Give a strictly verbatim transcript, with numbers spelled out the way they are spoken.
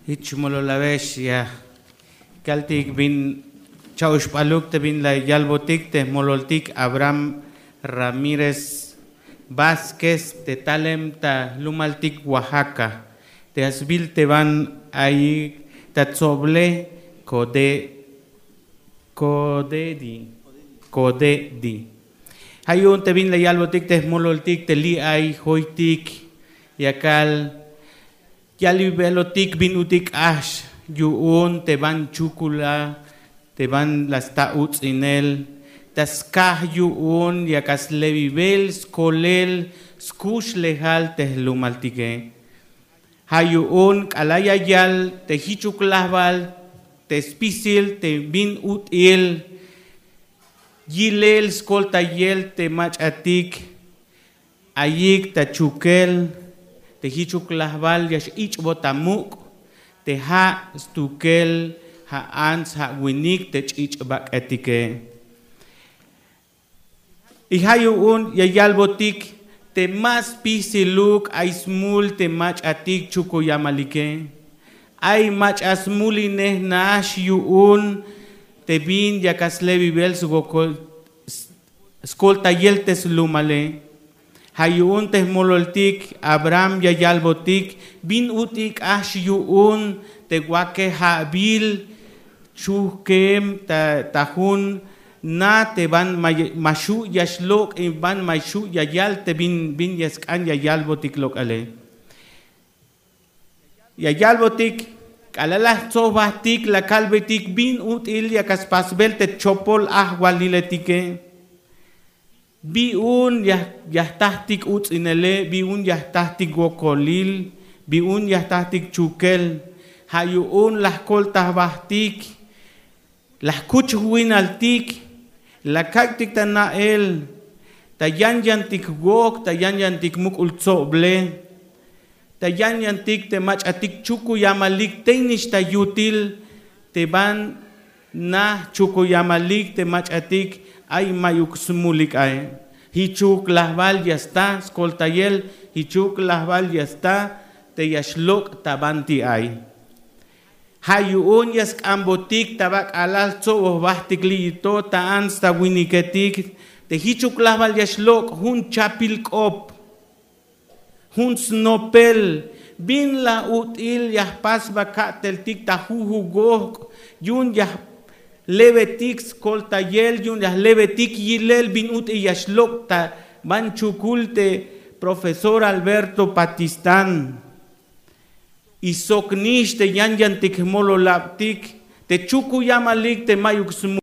Hich mololawex ya kaltik bin cha'uxp'aluk te bin la yalbotik te jmololtik Abraham Ramírez Vázquez te talem ta jlumaltik Oaxaca, te asbil te ban ayik ta tsoble Code Codedi Codedi. Ja' yu'un te bin la yalbotik te jmololtik te li' ay joytik yakal yalbibelotik bin ut'il k'ax yu'un te ban chukula te ban la sta uts'inel ta skaj yu'un yak a slebibel skolel skuxlejal te jlumaltike. Ja' yu'un k'alal ya yal te jichuk lajbal te spisil te bin ut'il yilel skoltayel te mach'atik ayik ta chukel te jichuk lajbal ya x'ich'bot ta muk' te ja' stukel ja' ants ja' winik te ch'ich'bak'etike. Y ja' yu'un ya yalbotik te ma spisiluk ay smul te mach'atik chukuyamalike. Ay mach'a smulinej nax yu'un te bin yak a slebibel swokol skoltayel te slumale. Ja' yu'un te jmololtik Abraham ya yalbotik bin ut'il k'ax yu'un te wakeja'bil chujkem ta jun na te ban ma xu' ya xlok' y ban ma xu' ya yal te bin bin ya sk'an ya yalbotik lok'ale. Ya yalbotik k'alal la jtso jbajtik la kalbetik bin ut'il yak a spasbel te chopol ajwaliletike. Bi un ya jtajtik uts'inele, bi un ya jtajtik wokolil, bi un ya jtajtik chukel. Ja' yu'un la jkolta jbajtik la jkuch jwinaltik, la kak'tik ta na'el, ta yan yantik wok, ta yan yantik muk'ul tsoble, ta yan yantik te mach'atik chukuyamalik tey nix ta yutil te ban na chukuyamalik te mach'atik ay mayuk smulik ae. Jichuk lajbal ya sta skoltayel, jichuk lajbal ya sta te ya xlok' ta banti ay. Ja' yu'un ya sk'ambotik ta ba k'alal jtsoboj jbajtik li'i to ta ants ta winiketik te jichuk lajbal ya xlok' jun chapil k'op, jun snopel, bin la ut'il ya jpas ba ka'teltik ta jujugojk' yu'un ya lebetik skoltayel, yu'un ya lebetik yilel bin ut'il ya xlok' ta ban chukul te profesor Alberto Patistán. Y sok nix te yan yantik jmololabtik te chukuyamalik te mayuk smu